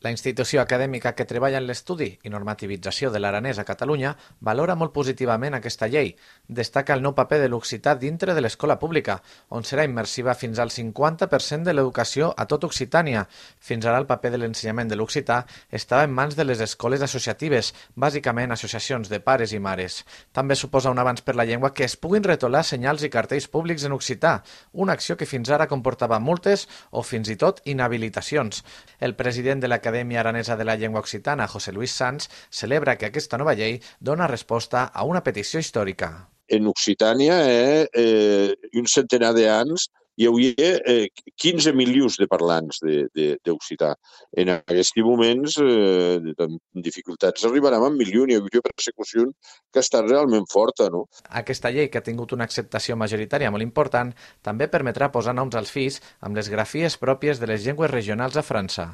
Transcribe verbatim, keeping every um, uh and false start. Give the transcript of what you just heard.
La institució acadèmica que treballa en l'estudi i normativització de l'aranès a Catalunya valora molt positivament aquesta llei. Destaca el nou paper de l'occità dintre de l'escola pública, on serà immersiva fins al cinquanta per cent de l'educació a tot Occitània. Fins ara el paper de l'ensenyament de l'occità estava en mans de les escoles associatives, bàsicament associacions de pares i mares. També suposa un avanç per la llengua que es puguin retolar senyals i cartells públics en occità, una acció que fins ara comportava multes o fins i tot inhabilitacions. El president de l'Acadèmia Aranesa de la Llengua Occitana, José Luis Sanz, celebra que aquesta nova llei dona resposta a una petició històrica. En Occitània, eh, eh, un centenar d'anys, hi hauria eh, quinze milions de parlants d'occità. En aquests moments, eh, amb dificultats, arribarem a un milió, hi hauria persecució que està realment forta, no? Aquesta llei, que ha tingut una acceptació majoritària molt important, també permetrà posar noms als fills amb les grafies pròpies de les llengües regionals a França.